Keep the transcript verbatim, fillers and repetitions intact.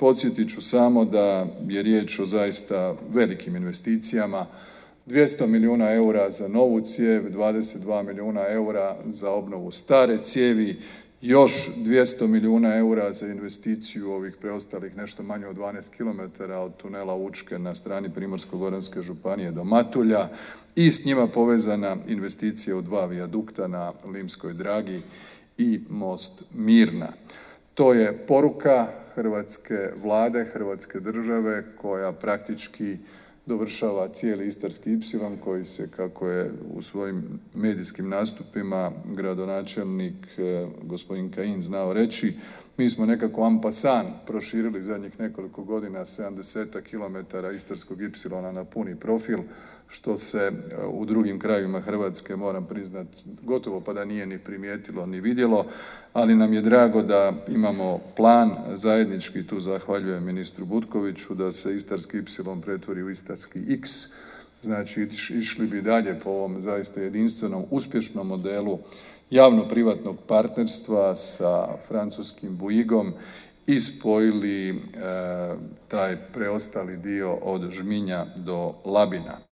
Podsjetit ću samo da je riječ o zaista velikim investicijama, dvjesto milijuna eura za novu cijev, dvadeset dva milijuna eura za obnovu stare cijevi, još dvjesto milijuna eura za investiciju ovih preostalih nešto manje od dvanaest kilometara od tunela Učke na strani Primorsko-goranske županije do Matulja i s njima povezana investicija u dva vijadukta na Limskoj Dragi i most Mirna. To je poruka hrvatske Vlade, hrvatske države koja praktički dovršava cijeli Istarski ipsilon koji se, kako je u svojim medijskim nastupima gradonačelnik gospodin Kajin znao reći, mi smo nekako en passant proširili zadnjih nekoliko godina sedamdesetak kilometara Istarskog ipsilona na puni profil, što se u drugim krajevima Hrvatske, moram priznati, gotovo pa da nije ni primijetilo ni vidjelo, ali nam je drago da imamo plan zajednički, tu zahvaljujem ministru Butkoviću, da se Istarski ipsilon pretvori u Istarski iks, znači išli bi dalje po ovom zaista jedinstvenom, uspješnom modelu javno-privatnog partnerstva sa francuskim Bouygueom i spojili e, taj preostali dio od Žminja do Labina.